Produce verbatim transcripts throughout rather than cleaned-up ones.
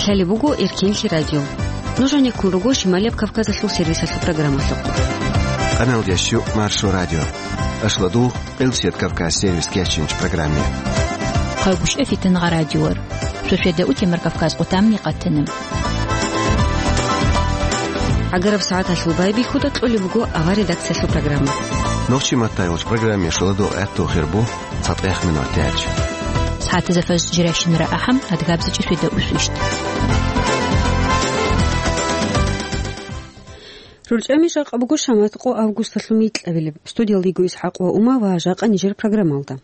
Лъалеб буго Эркенлъи радио. Нуж гьанеккун руго Шималияб Кавказалъул сервисалъул программалъухъ. Къаналдящу Маршо радио. Ашладул Къилсият Кавказ сервис кечинч программе. Хъайгуща фитнагъа радиор. Шошеда утемар Кавказ къутамни къатана. Агараб сагӀаталъул байбихьуда кьолеб буго ава редакциялъул программа. Нохчи матайулч программе шуладул гӀатту хирбу. ЦатӀех минут тяч. СагӀатазда фажр жирашинра ахӀам, адгабзичӀи сведа усвищт. РурчӀами жакъа буго шамат къо августалъул микьабилеб. Студиялда йиго ИсхӀакъ ва Ума ва жакъа нижер программалда.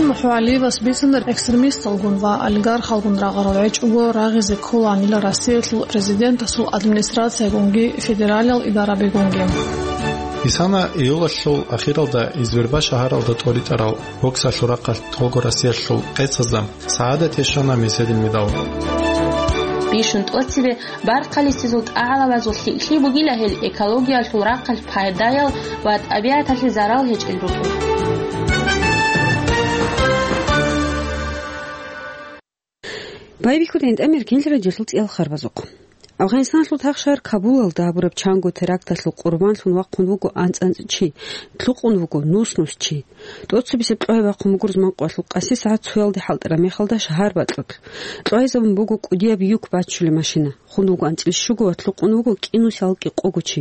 МухӀугӀалиевас бицана экстремисталгун ва олигархалгун рагъарал гӀечӀого рагъизе кколанила Россиялъул президентасул администрациягунги федералиял идарабигунги. Исана июлалъул ахиралда Изверба шагьаралда тӀоритӀарал боксалъул рахъалъ Толго Россиялъул къецазда СагӀадат яшана меседил медал. Бищун тӀоцебе бархъалисезул тӀагӀалабазул лъикӀлъи бугила гьел экологиялъул рахъалъ пайдаял ва тӀабигӀаталъе зарал гьечӀел рукӀин. Байбихьуда гьитӀамир кинлъи радиолъул цӀиял харбазухъ. Афгъанистаналъул тахшар Кабулалда гьабураб чанго теракталъул къурбанлъун вахъун вуго анцӀ-анцӀ чи, лъукъун вуго нус-нус чи. ТӀоцебесеб кьогьаб бахъун буго рузман къоялъул къаси сагӀат цоялде хӀалтӀараб мехалда шагьар бакьулъ. Кьогьезабун буго кӀудияб юк баччулеб машина. Хун вуго анцӀил щуго ва лъукъун вуго кӀинусиялъ кӀикъого чи.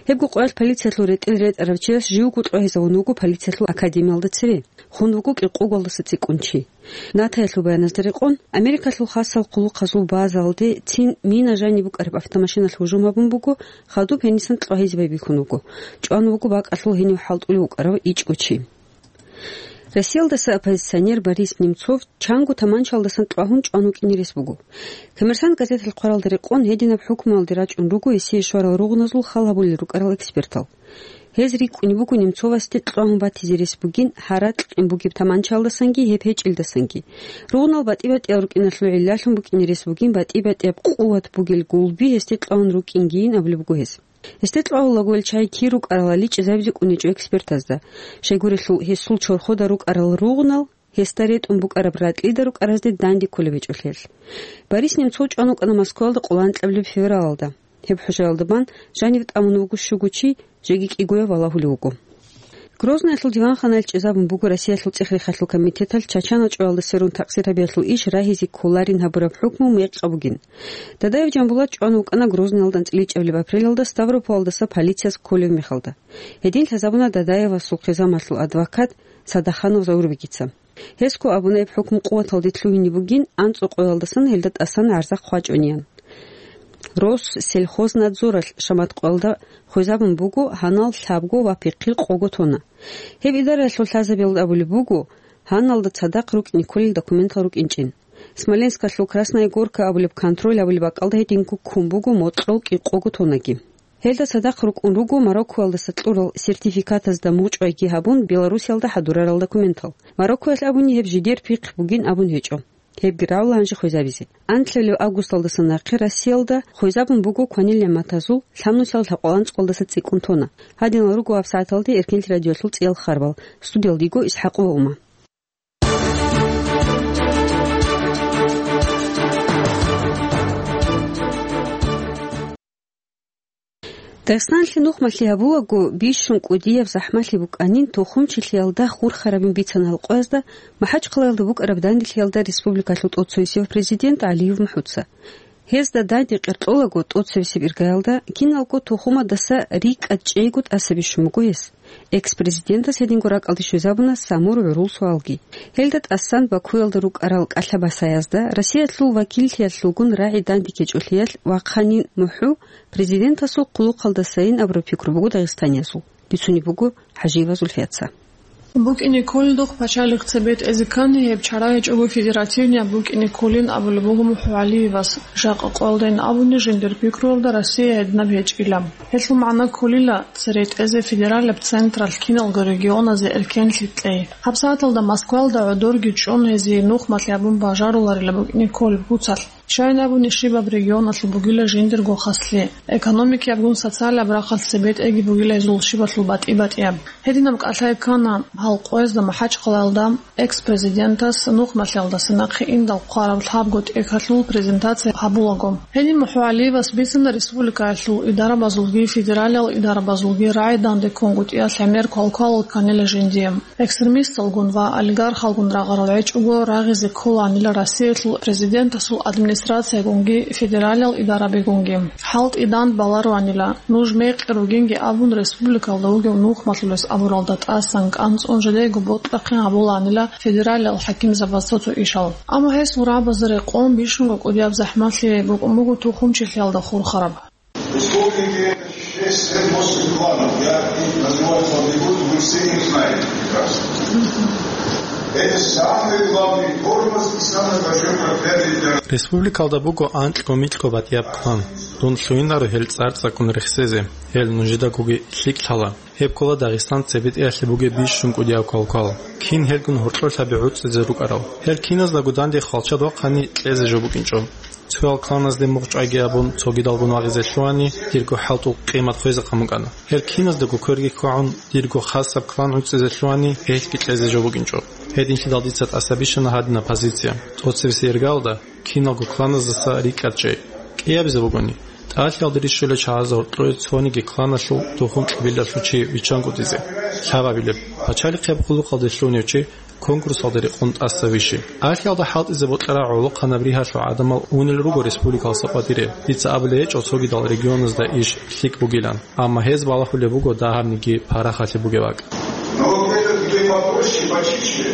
Гьебго къоялъ полициялъул ретӀел ретӀарав чияс живго кьогьезавун вуго полициялъул академиялда цере. Хун вуго кӀикъоголдаса цӀикӀкӀун чи. Натаялъул баяназда рекъон, Америкалъул хасал хъулухъазул базаялде цин мина жаниб букӀараб автомашиналъ гьужум гьабун буго, хадуб гьенисан кьогьезе байбихьун вуго. ЧӀван вуго бакӀалъул гьенив хӀалтӀулев вукӀарав ичӀго чи. Россиялдаса оппозиционер Борис Немцов чанго таманчалдасан кьвагьун чӀван вукӀине рес буго. Коммерсант газеталъ хъваралда рекъон, гьединаб хӀукмуялде рачӀун руго гьесие щварал ругъназул хал гьабулел рукӀарал экспертал. Гьез рикӀкӀунеб буго Немцовасде кьвагьун батизе рес бугин гьаракь кьун бугеб таманчалдасанги гьеб гьечӀелдасанги. Ругънал батӀи-батӀиял рукӀиналъул гӀиллалъун букӀине рес бугин батӀи-батӀияб къуват бугел гулби гьесде кьвагьун рукӀингийин абулеб буго гьес. Гьесде кьвагьулаго гьел чагӀи кир рукӀаралали чӀезабизе кӀунечӀо экспертазда. Щайгурелъул гьесул чорхода рукӀарал ругънал гьесда ретӀун букӀараб ракьида рукӀаразде данде кколеб гьечӀолъиялъ. Борис Немцов чӀван вукӀана Москваялда къоло анкьабилеб февралалда. Гьеб хӀужаялда бан жанив тӀамун вуго щуго чи, жеги кӀигояв валагьулев вуго. Грознаялъул диванханаялъ чӀезабун буго Россиялъул цӀех-рехалъул комитеталъ Чачан гьачӀоялда сверун такъсир гьабиялъул иш рагьизе кколарин гьабураб хӀукму мекъаб бугин. Дадаев Жамбулат чӀван вукӀана Грознаялда анцӀила ичӀабилеб апрелалда Ставрополалдаса полицияс кколев мехалда. Гьедин лъазабуна Дадаевасул хъизамалъул адвокат Садаханов Заурбегица. Гьесго абуна гьеб хӀукму къуваталде лъугьине бугин анцӀу къоялдасан гьелда тӀасан гӀарза хъвачӀунеян. Россельхознадзоралъ шамат къоялда хвезабун буго гьанал лъабго ва пихъил къого тонна. Гьеб идараялъул лъазабиялда абулеб буго, гьаналда цадахъ рукӀине кколел документал рукӀинчӀин. Смоленскалъул Красная Горка абулеб контроль абулеб бакӀалда гьединго ккун буго мокьул кӀикъого тоннаги. Гьелда цадахъ рукӀун руго Мароккоялдаса кьурал сертификатазда мугъчӀвайги гьабун, Белоруссиялда хӀадурарал документал. Мароккоялъ абуни гьеб жидер пихъ бугин абун гьечӀо. Гьебги равла гьанже хвезабизе. Анлъабилеб августалдаса нахъе Россиялда хвезабун буго кванил нигӀматазул лъабнусиялъ лъабкъоялда анцӀ къоялдаса цӀикӀкӀун тонна. Гьадинал руго гьаб сагӀаталде Эркенлъи радиоялъул цӀиял харбал. Студиялда йиго ИсхӀакъова Ума. Дагъистаналъе нухмалъи гьабулаго, бищун кӀудияб захӀмалъи букӀанин, тухумчилъиялда хурхарабин бицана гьал къоязда МахӀачхъалаялда букӀараб данделъиялда республикалъул тӀоцевесев президент ГӀалиев МухӀуца. Гьезда данде къеркьолаго тӀоцевесеб иргаялда киналго тухумадаса рикӀкӀад чӀейго тӀаса бищун буго гьес. Экс-президентас гьединго ракӀалде щвезабуна Самур гӀурул суалги. Гьелда тӀасан Бакуялда рукӀарал кӀалъа-басаязда Россиялъул вакиллъиялъулгун рагӀи данде ккечӀолъиялъ вахъанин МухӀу президентасул хъулухъалдасайин абураб пикру буго дагъистаниязул, бицунеб буго ХӀажиева Зульфияца. БукӀине кколелдухъ пачалихъ цебе тӀезе ккани, гьеб чара гьечӀого федеративнияб букӀине кколин абулеб буго МухӀугӀалиевас. Жакъа къоялдайин абуни, жиндир пикруялда Россия гьединаб гьечӀила. Гьелъул магӀна кколила цере тӀезе федералияб централъ киналго регионазе эркенлъи кьей. ГьабсагӀаталда Москвалда гӀодорги чӀун гьезие нухмалъи гьабун бажаруларила букӀине кколеб куцалъ. Щайин абуни, щибаб регионалъул бугила жиндирго хаслъи, экономикиябгун социалияб рахъалъ цебетӀеги бугила гьезул щибалъул батӀи-батӀияб. Гьединаб кӀалъай ккана гьал къоязда МахӀачхъалаялда экс-президентас нухмалъиялдаса нахъе индал хъвараб лъабго тӀехьалъул презентация гьабулаго. Гьениб МухӀгьугӀалиевас бицана республикаялъул идарабазулги федералиял идарабазулги рагӀи данде ккунгутӀиялъ гӀемер квалквал кканила жиндие. Экстремисталгун ва олигархалгун рагъарал гьечӀого рагъизе кколаанила Россиялъул президентасул администрациягунги федералиял идарабигунги. ХӀалтӀи дандбалароанила, нуж мекъи ругинги абун, республикалда вугев нухмалъулес абуралда тӀасан кӀанцӀун жидего бокьахъин гьабулаанила федералиял хӀакимзабаз цо-цо ишал. Амма гьесул рагӀабазда рекъон бищунго кӀудияб захӀмалъи букӀун буго тухумчилъиялда хурхараб. Республики это шесть-семь восемь кланов. Я их называть вам не буду, вы все их знаете прекрасно. Это самый главный тормоз и самый большой проклятие для Республикалда буго анкьго-микьго батӀияб клан. Дун лъугьинаро гьел цӀар-цӀакъун рехсезе, гьел нужедагоги лъикӀ лъала. Гьеб ккола Дагъистан цебетӀеялъе бугеб бищун кӀудияб квалквал. Кин гьелгун гьоркьор лъаби гӀуцӀизе рукӀарал. Гьел киназдаго данде хвалчад вахъани кьезе жо букӀинчӀо. Цоял кланазде мугъчӀвайги абун, цогидалгун вагъизе лъугьани, дирго хӀалтӀул къимат хвезе къан букӀана. Гьел киназдаго кверги кквагӀун, дирго хасаб клан гӀуцӀизе лъугьани, гьелъги кьезе жо букӀинчӀо. Гьединлъидал дица тӀаса бищана гьадинаб позиция. ТӀоцебесеб иргалда киналго кланаздаса рикӀкӀад чӀей. КӀиабизе бугони, тӀалъиялда рищулел чагӀазда гьоркьое цониги кланалъул тухум-кьабилалъул чи виччангутӀизе, лъабабилеб, пачалихъияб хъулухъалде лъугьунев чи конкурсалда рекъон тӀаса вищи. Алъиялда хӀалтӀизе бокьарал гӀолохъанаб ригьалъул гӀадамал унел руго республикалдаса къватӀире. Дица абулеб гьечӀо цогидал регионазда иш лъикӀ бугилан, амма гьез балагьулеб буго дагьабниги парахалъи бугеб бакӀ. Но вот это, где попроще, почище,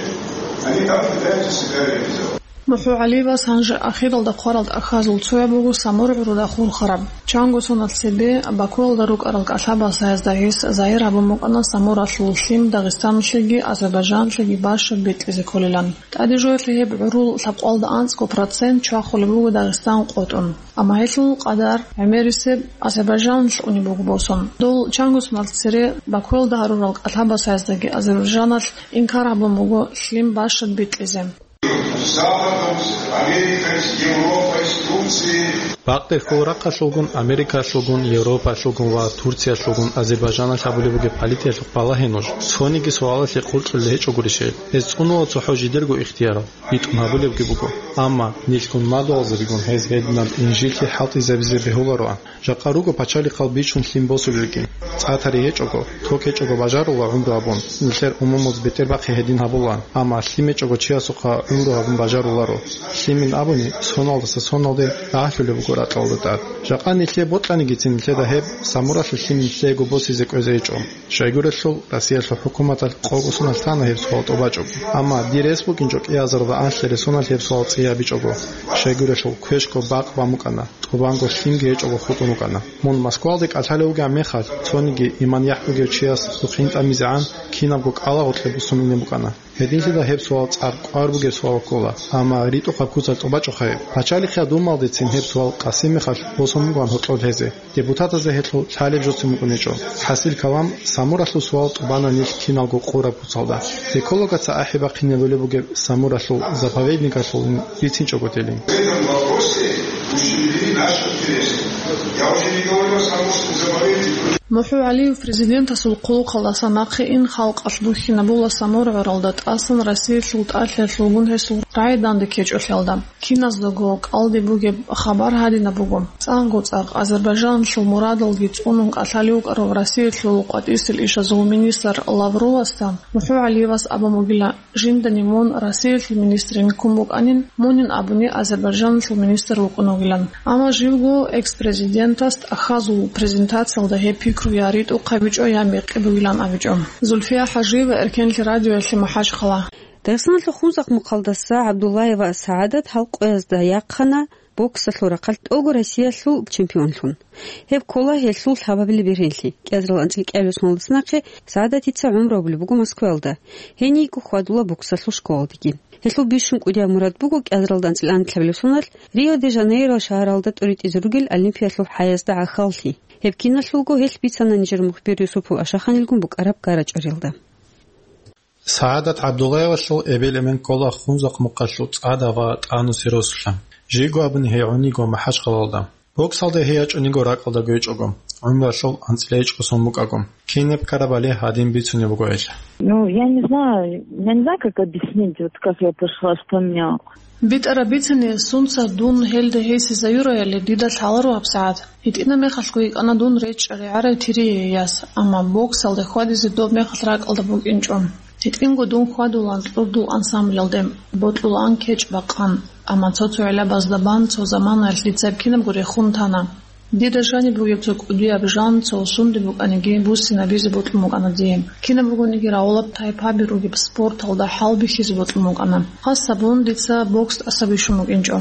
они там пытаются себя реализовать. МухӀгьугӀалиевас гьанже ахиралда хъварал тӀахьазул цояб буго Самур гӀуруда хурхараб. Чанго соналъ цебе Бакуялда рукӀарал кӀалъабасаязда гьес загьир гьабун букӀана Самуралъул лъим Дагъистаналъеги Азербайжаналъеги бащад битӀизе кколилан. ТӀаде жоялъе гьеб гӀурул лъабкъоялда анцӀго процент чвахулеб буго Дагъистан къотӀун. Амма гьелъул къадар гӀемерисеб Азербайжаналъ унеб буго босун. Дол чанго соналъ цере Бакуялда гьарурал кӀалъабасаяздаги Азербайжаналъ инкар гьабун буго лъим бащад битӀизе. С Западом, с Америкой, с Европой, с Турцией. Бакъдерхъул рахъалъулгун, Америкалъулгун, Европалъулгун ва Турциялъулгун Азербайжаналъ гьабулеб бугеб политикаялъухъ балагье нуж. Цониги суалалъе хъулчӀулел гьечӀо гурищ гьел. Гьез цӀунула цохӀо жидерго ихтияр, битӀун гьабулебги буго. Амма нилъгун мадугьалзабигун гьез гьединаб инжитлъи хӀалтӀизабизе бегьулароан. Жакъа руго пачалихъал бичун лъим босулелги. ЦӀа тари гьечӀого, ток гьечӀого бажарула гӀумру гьабун, нилъер умумуз бетӀербахъи гьедин гьабулаан, амма лъим гьечӀого чиясухъа гӀумру гьабун бажаруларо. Лъимин абуни, соналдаса соналде рагьлъулеб буго ракьалда тӀад. Жакъа нилъее бокьанигицин нилъеда гьеб Самуралъул лъим нилъеего босизе кӀвезе гьечӀо. Щайгурелъул, Россиялъул хӀукуматалъ къого соналъ лъана гьеб суал тӀубачӀого. Амма дир рес букӀинчӀо кӀиазарда анлъи ресуналъ гьеб суал цӀиябичӀого. Щайгурелъул, квешго бакъ бан букӀана. ТӀубанго лъимги гьечӀого хутӀун рукӀана. Мун Москвалде кӀалъалев вугеб мехалъ, цониги иман-яхӀ бугев чияс духъ гьинтӀамизегӀан кинабго кӀалагъоркье бусун ине букӀана. Гьединлъидал гьеб суал цӀар кӀвар бугеб суал ккола, амма ритӀухъаб куцалъ тӀубачӀухъе. Пачалихъе гьадумалдецин гьеб суал къасимехалъ босун бугоан гьоркьоб лъезе. Депутатазда гьелъул лъалеб жоцин букӀунечӀо. ХӀасил калам, Самуралъул суал тӀубана нилъ киналго къураб куцалда. Экологаца ахӀи бахъинабулеб бугеб Самуралъул заповедникалъулин бицинчӀого телин. В этом вопросе ущемлены наши интересы. Я уже не говорю о Самурском заповеднике. МухӀгьугӀалиев президентасул хъулухъалдаса нахъе ин халкъалъ бухьинабула Самур гӀуралда тӀасан Россиялъул тӀалъиялъулгун гьесул рагӀи данде ккечӀолъиялда. Киназдаго кӀалдиб бугеб хабар гьадинаб буго. ЦӀакъго-цӀакъ Азербайжаналъул мурадалги цӀунун кӀалъалев вукӀарав Россиялъул къватӀисел ишазул министр Лавровасда МухӀгьугӀалиевас абун бугила, жиндани мун Россиялъул министрин ккун букӀанин, мунин абуни Азербайжаналъул министр вукӀун вугилан. Амма живго экс-президентас тӀахьазул презентациялда гьеб пикру я ритӀухъабичӀо, я мекъи бугилан абичӀо. Зульфия ХӀажиева, Эркенлъи радиоялъе, МахӀачхъала. Дагъистаналъул Хунзахъ мухъалдаса ГӀабдуллаева СагӀадат гьал къоязда яхъана боксалъул рахъалъ тӀого Россиялъул чемпионлъун. Гьеб ккола гьелъул лъабабилеб бергьенлъи. КӀиазарал анцӀила кӀиабилеб соналдаса нахъе СагӀадатица гӀумру гьабулеб буго Москваялда. Гьенийго хьвадула боксалъул школалдеги. Гьелъул бищун кӀудияб мурад буго кӀиазаралда анцӀила анлъабилеб соналъ Рио-де-Жанейро шагьаралда тӀуритӀизе ругел Олимпиялъул хӀаязда гӀахьаллъи. Гьеб киналъулго гьелъ бицана нижер мухбир Юсупов Ашаханилгун букӀараб гарачӀариялда. СагӀадат ГӀабдуллаевалъул эбел-эмен ккола Хунзахъ мухъалъул ЦӀада ва ТӀанусел росулъа. Жийго абуни гьей гӀуниго МахӀачхъалалда. Боксалда гьей ячӀуниго ракӀалда гьечӀого, гӀумралъул анцӀила гьечӀго сон букӀаго. Кинаб ккарабали гьадин бицунеб буго гьелъ. Ну, я не знаю, я не знаю, как объяснить, вот как я пошла, что меня. БитӀараб бицани, сунца дун гьелда гьесизаюраяли дида лъаларо гьабсагӀат. ГьитӀина мехалъго йикӀана дун речӀчӀарай гӀарай Тирияяс, амма боксалда хьвадизе доб мехалъ ракӀалда букӀинчӀо. ГьитӀинго дун хьвадулан кьурдул ансамблалде, бокьулаан кечӀ бакъан, амма цо-цо гӀелабазда бан цо заманаялъ дица кинабго рехун тана. Дида жаниб бугеб цо кӀудияб жан, цо сунде букӀаниги, буссинабизе бокьун букӀана дие. Кинаб бугониги рагӀулаб тайпаби ругеб спорталда хӀалбихьизе бокьун букӀана. Хасабун дица бокс тӀаса бищун букӀинчӀо.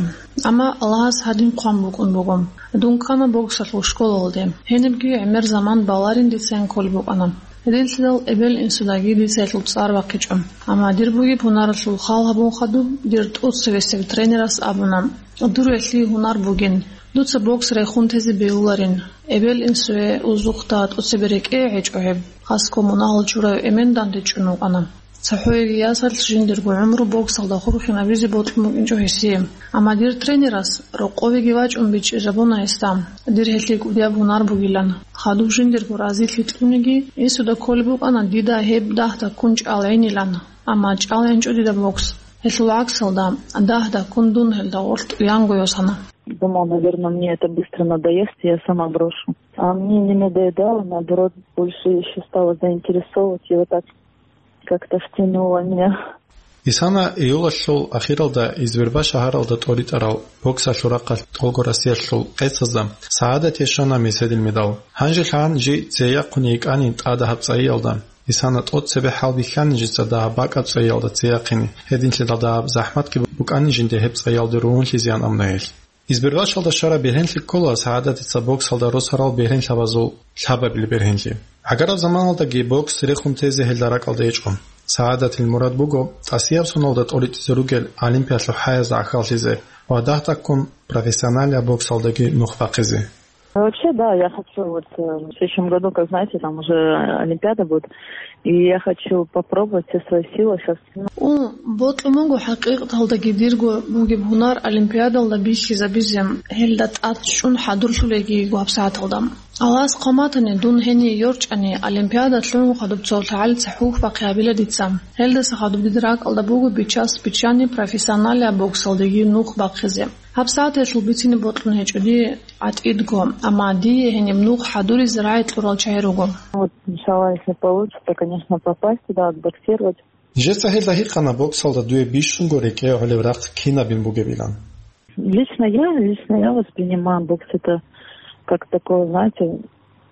Амма Аллагьас гьадин хъван букӀун буго. Дун ккана боксалъул школалде. Гьенибги гӀемер заман баларин дицайин кколеб букӀана. Гьединлъидал эбел-инсудаги дица гьелъул цӀар бахъичӀо. Амма дир бугеб гьунаралъул хал гьабун хадуб, дир тӀоцебесеб тренерас абуна: «Дур гьелъие гьунар бугин, дуца бокс рехун тезе бегьуларин. Эбел-инсуе узухъда тӀоцебе рекӀее гьечӀо гьеб». Хасго мунагьал чурав эмен дандечӀун вукӀана. ЦохӀоеги ясалъ жиндирго гӀумру боксалда хурхинабизе бокьун букӀинчӀо гьесие. Амма дир тренерас рокъовеги вачӀун бичӀчӀизабуна гьесда, дир гьелъие кӀудияб гьунар бугилан. Хадуб жиндирго разилъи кьуниги, инсуда кколеб букӀана дида гьеб дагь-даккун чӀалгӀинилан, амма чӀалгӀинчӀо дида бокс. Гьелъул гӀаксалда, дагь-даккун дун гьелда гъоркь уянго йосана. Думал, наверное, мне это быстро надоест, и я сама брошу. А мне не надоедало, наоборот, больше ещё стала заинтересовывать, и вот так как-то втянуло меня. Исана июлалъул ахиралда Избербаш шагьаралда тӀоритӀарал боксалъул рахъалъ тӀолго Россиялъул къецазда СагӀадатие щвана меседил медал. Гьанже лъан жи цеяхъуни йикӀани тӀадагьаб цӀайиялда. Исана тӀоцебе хӀалбихьани жица дагьаб бакӀаб цӀайиялда цеяхъине, гьединлъидал дагьаб захӀматги букӀани жинде гьеб цӀайиялде ругьунлъизеян абуна гьелъ. Избербашалда щвараб бергьенлъи ккола СагӀадатица боксалда росарал бергьенлъабазул лъабабилеб бергьенлъи. ГӀагараб заманалдаги бокс рехун тезе гьелда ракӀалда гьечӀо. СагӀадатил мурад буго тӀасияб соналда тӀоритӀизе ругел олимпиялъул хӀаязда гӀахьаллъизе ва дагь-даккун профессионалияб боксалдаги нух бахъизе. Вообще, да, я хочу вот, э, в следующем году, как знаете, там уже Олимпиада будет, и я хочу попробовать все свои силы сейчас. Ун, бокьун буго хӀакъикъаталдаги дирго бугеб гьунар олимпиадалда бихьизабизе, гьелда тӀад чӀун хӀадурлъулейги йиго гьабсагӀаталда. Аллагьас хъван батани, дун гьение йорчӀани, олимпиада лъугӀун хадуб цо лъагӀалица хӀухь бахъи гьабила дица. Гьелдаса хадуб дида ракӀалда буго бичас-бичани профессионалияб боксалдаги нух бахъизе. ГьабсагӀат гьелъул бицине бокьун гьечӀо дие гӀатӀидго, амма дие гьениб нух хӀадуризе рагӀи кьурал чагӀи руго. Вот, иншалла, если получится, конечно, попасть туда, отбоксировать. Нижеца гьелда гьикъана боксалда дуе бищунго рекӀее гӀолеб рахъ кинабин бугебилан. Лично я, лично я воспринимаю бокс это как такое, знаете,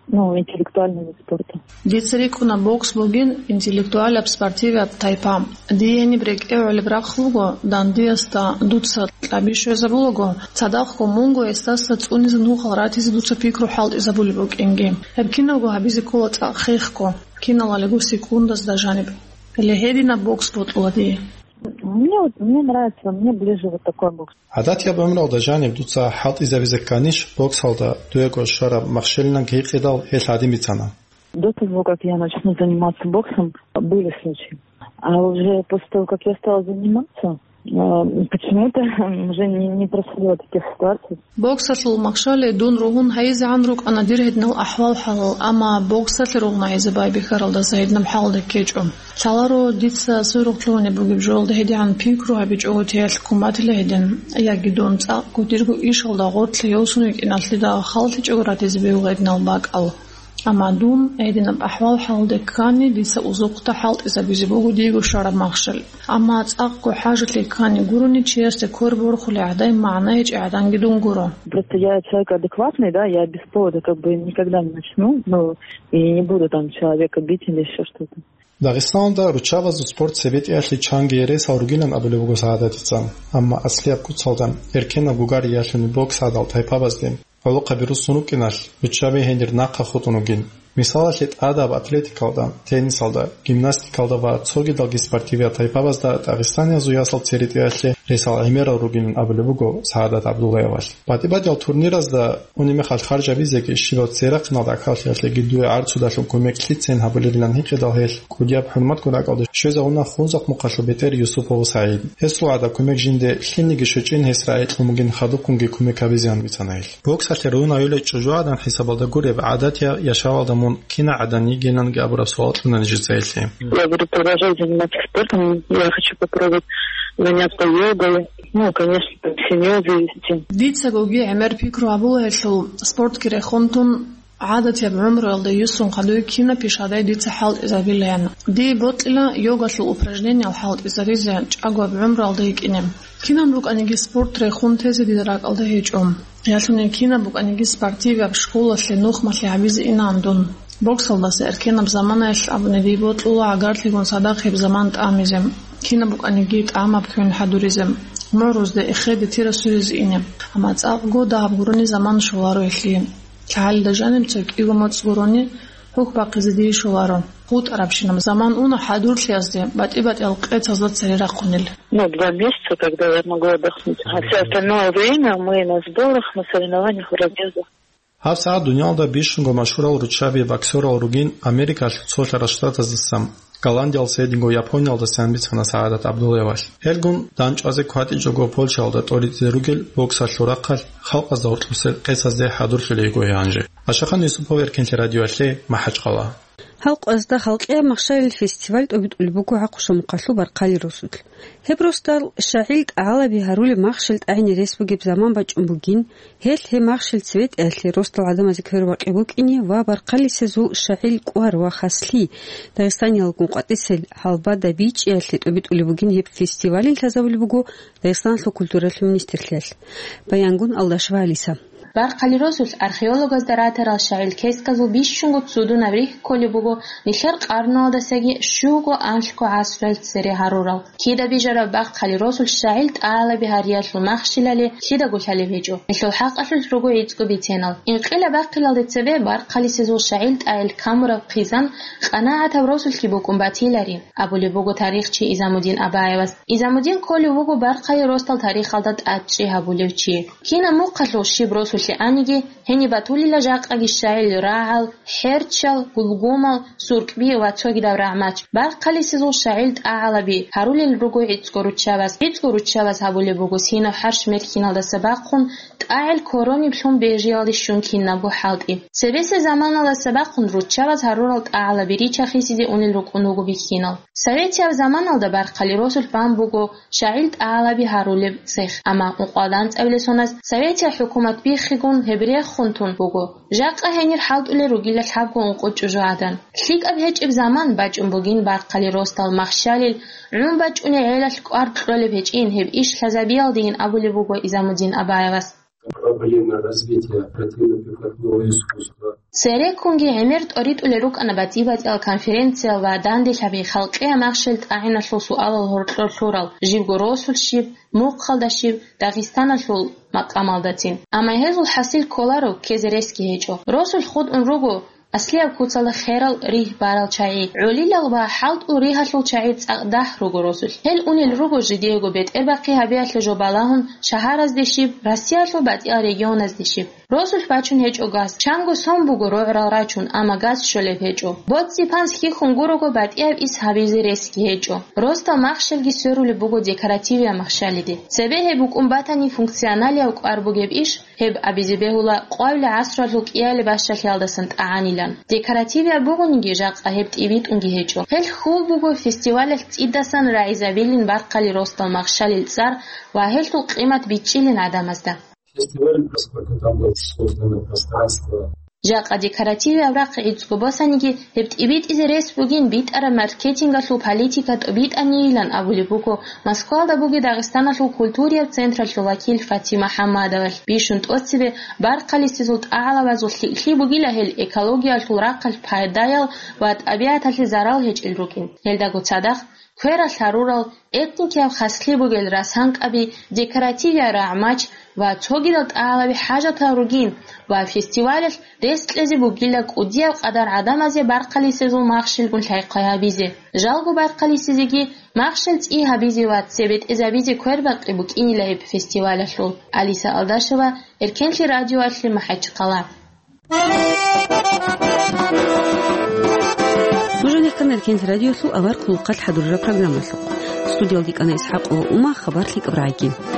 ну, интеллектуальный вид спорта. Дица рикӀкӀуна бокс бугин интеллектуалаб спортивияб тайпа. Дие гьениб рекӀее гӀолеб рахъ буго, дандиясда дуца кьаби щвезабулаго, цадахъго мунго гьесдаса цӀунизе нухал ратизе дуца пикру хӀалтӀизабулеб букӀинги. Гьеб кинабго гьабизе ккола цӀакъ хехго, киналалиго секундазда жаниб. Гьеле гьединаб бокс бокьула дие. Мне вот, мне нравится, мне ближе вот такой бокс. ГӀадатияб гӀумралда жаниб дуца хӀалтӀизабизе кканищ боксалда дуего щвараб махщелинаб гьикъидал гьелъ гьадин бицана. До того, как я начну заниматься боксом, были случаи. А уже после того, как я стала заниматься, э, почему-то уже не, не происходило таких ситуаций. Боксалъул махщале дун ругьун гьайизегӀан рукӀана дир гьединал ахӀвал-хӀалал, амма боксалъе ругьун гьайизе байбихьаралдаса гьединаб хӀалалда ккечӀо. Лъаларо дица сверухъ лъугьунеб бугеб жолда гьедигӀан пикру гьабичӀого теялъ ккун батила гьедин, яги дун цӀакъго дирго ишалда гъоркье йосун витӀиналъидал халлъичӀого ратизе бегьула гьединал бакӀал. Амма дун гьединаб ахӀвал-хӀалалде ккани, дица узухъда хӀалтӀизабизе буго диего щвараб махщел. Амма цӀакъго хӀажалъи ккани гурони, чиясде квер борхулей гӀадай магӀна гьечӀей гӀаданги дун гуро. Просто я человек адекватный, да, я без повода как бы никогда не начну, ну, и не буду там человека бить или ещё что-то. Дагъистаналда руччабазул спорт цебетӀиялъе чанги ресал ругилан абулеб буго СагӀадатица, амма аслияб куцалда, эркенаб гугариялъун бокс гӀадал тайпабазде гӀолохъаби руссун рукӀиналъ, руччаби гьенир нахъа хутӀун ругин. Мисалалъе, тӀадаб атлетикалда, теннисалда, гимнастикалда ва цогидалги спортивияб тайпабазда дагъистаниязул ясал церетӀиялъе гъисал гӀемерал ругилан абулеб буго СагӀадат ГӀабдуллаевалъ. БатӀи-батӀиял турниразда унеб мехалъ харжабизеги, щибаб церахъиналда гӀахьаллъиялъеги дуе гӀарцудалъун кумек лъицейин гьабулебилан гьикъидал гьелъ кӀудияб хӀурматгун ракӀалде щвезавуна Хунзахъ мухъалъул бетӀер Юсупов СагӀид. Гьесул гӀадаб кумек жинде лъилниги щвечӀин гьес рагӀи кьун бугин хадубккунги кумек гьабизеян бицана гьелъ. Боксалъе ругьунав йолей чӀужугӀадан хӀисабалда гуреб, гӀадатияб яшавалда мун кинагӀадан йигиланги абураб суал кьуна нижеца гьелъие. Я буду продолжать заниматься спортом. Я хочу попробовать заняться йогой. Ну, конечно, от семьи зависит. Дицагоги гӀемер пикру гьабула гьелъул, спортги рехун тун, гӀадатияб гӀумруялда юсун хадуй кинаб пишадай дица хӀалтӀизабилаян. Дие бокьила йогалъул упражнениял хӀалтӀизаризе чӀагояб гӀумруялда йикӀине. Кинаб букӀаниги спорт рехун тезе дида ракӀалда гьечӀо. Ялъуни кинаб букӀаниги спортиваб школалъе нухмалъи гьабизе инаан дун. Боксалдаса эркенаб заманаялъ абуни дие бокьула гӀагарлъигун цадахъ гьеб заман тӀамизе, кинаб букӀаниги тӀамаб квен хӀадуризе, мугӀрузде эхеде тира суризе ине. Амма цӀакъго дагьаб гурони заман щоларо гьелъие. ЛъагӀалида жаниб цо кӀиго моцӀ гурони гьухь бахъизе дие щоларо. ГъутӀарабщинаб заман уна хӀадурлъиязде, батӀи-батӀиял къецазда цере рахъунел. Ну, два месяца, когда я могла отдохнуть. А всё остальное время мы на сборах, на соревнованиях, в разъездах. ГьабсагӀат дуниялда бищунго машгьурал руччаби боксерал ругин Америкалъул цолъарал штатаздасан, Голландиялдаса гьединго Япониялдасан бицана СагӀадат ГӀабдуллаевалъ. Гьелгун дандчӀвазе кватӀичӀого Польшаялда тӀоритӀизе ругел боксалъул рахъалъ халкъазда гьоркьосел къецазде хӀадурлъулей гьанже. Ашахан Юсупов, Эркенлъи радиоялъе, МахӀачкъала. Гьал къвезда халкъияб махщалил фестиваль тӀобитӀулеб буго ГӀахъуша мухъалъул Баркъали росулъ. Гьеб росдал щагӀил тӀагӀалаби гьарулеб махщел тӀагӀине рес бугеб заман бачӀун бугин, гьелъ гьеб махщел цебетӀеялъе росдал гӀадамазе квербакъи букӀине ва Баркъалисезул щагӀил кӀвар ва хаслъи Дагъистаниялгун къватӀисел гьалбада бичӀчӀиялъе тӀобитӀулеб бугин. Гьеб фестивалин лъазабулеб буго Дагъистаналъул культуралъул министрлъиялъ. Баянгун Алдашева Алиса. Баркъали росулъ археологазда ратарал щагӀил кесказул бищунго цудунаб рихь кколеб буго нилъер къарналдасаги щуго-анлъго гӀасруял цере гьарурал. Кида бижараб Баркъали росулъ щагӀил тӀагӀалаби гьариялъул махщелали лъидаго лъалеб гьечӀо, гьелъул хӀакъалъулъ руго гӀицӀго биценал. Инкъилаб бахъиналде цебе Баркъалисезул щагӀил тӀагӀел камураб хъизан къанагӀатаб росулъги букӀун батилари, абулеб буго тарихчи Изамудин Абаевас. Изамудин кколев вуго Баркъали росдал тарихалда тӀадчӀи гьабулев чи. Кинаб мухъалъул щиб росулъе аниги, гьениб батулила жакъаги щагӀил рагӀал, хӀерчал, гулгумал, суркӀби ва цогидаб рагӀмач. Баркъалисезул щагӀил тӀагӀалаби гьарулел руго гӀицӀго руччабаз. ГӀицӀго руччабаз гьабулеб буго синав хӀарщ мерхьиналдаса бахъун тӀагӀел корониблъун бежиялде щун кинабго хӀалтӀи. Цебесеб заманалдаса бахъун руччабаз гьарурал тӀагӀалаби рича-хисиде унел рукӀун вуго бихьинал. Советияб заманалда Баркъали росулъ бан буго щагӀил тӀагӀалаби гьарулеб цех, амма ункъоялда анцӀабилеб соналъ советиял хӀукумат биххигун гьеб рехун тун буго. Жакъа гьенир хӀалтӀулел ругила лъабго-ункъо чӀужугӀадан. ЛъикӀаб гьечӀеб заман бачӀун бугин Баркъали росдал махщалил, гӀун бачӀуней гӀелалъ кӀвар кьолеб гьечӀин, гьеб иш лъазабиялдейин абулеб буго Изамудин Абаевас. Проблемы развития оперативно-прикладного искусства. Цереккунги гӀемер тӀоритӀулел рукӀана батӀи-батӀиял конференциял ва данделъаби халкъияб махщел тӀагӀиналъул суалал гьоркьор лъурал, жибго росулъ щиб, мухъалда щиб, Дагъистаналъул макъамалдацин. Амма гьезул хӀасил кколаро ккезе ресги гьечӀо. Росулъ хутӀун руго аслияб куцалда херал ригь барал чагӀи, гӀолилал ва хӀалтӀул ригьалъул чагӀи цӀакъ дагь руго росулъ. Гьел унел руго жидеего бетӀербахъи гьабиялъе жо балагьун шагьаразде щиб, Россиялъул батӀиял регионазде щиб. Росулъ бачун гьечӀо газ. Чанго сон буго рогӀрал рачун, амма газ щолеб гьечӀо. БоцӀи-панс хьихьун гурого батӀияб ис гьабизе ресги гьечӀо. Росдал махщелги сверулеб буго декоративияб махщалиде. Цебе гьеб букӀун батани функционалияб кӀвар бугеб иш, гьеб абизе бегьула къвавилеб гӀасруялъул кӀиялеб бащалъиялдасан тӀагӀанилан. Декоративияб бугониги, жакъа гьеб тӀибитӀунги гьечӀо. Гьел хьул буго фестивалалъ цӀидасан рагӀизабилин Баркъали росдал махщалил цӀар ва гьелъул къимат бичӀчӀилин гӀадамазда. Фестиваль, поскольку там было создано пространство. Жакъа декоративияб рахъ гӀицӀго босаниги, гьеб тӀибитӀизе рес бугин битӀараб маркетингалъул политика тӀобитӀанийилан абулеб буго Москвалда бугеб Дагъистаналъул культурияб централъул вакил Фатима ХӀаммадовалъ. Бищун тӀоцебе Баркъалисезул тӀагӀалабазул лъикӀлъи бугила гьел экологиялъул рахъалъ пайдаял ва тӀабигӀаталъе зарал гьечӀел рукӀин. Гьелдаго цадахъ кверал гьарурал, этникияв хаслъи бугел расанкъаби, декоративиял рагӀмач ва цогидал тӀалаби хӀажатал ругин ва фестивалалъ рес кьезе бугила кӀудияв къадар гӀадамазе баркъалисезул махщелгун лъай-хъвай гьабизе. Жалго баркъалисезеги махщел цӀи гьабизе ва цебетӀезабизе квербакъи букӀинила гьеб фестивалалъул. Алиса Алдашева, Эркенлъи радиоялъе, МахӀачхъала. Нуж гьанихъан Эркенлъи радиолъул авар хъулухъалъ хӀадурараб программалъухъ. Студиялде кӀана ИсхӀакъ ва Ума, хабар лъикӀаб рагӀиги.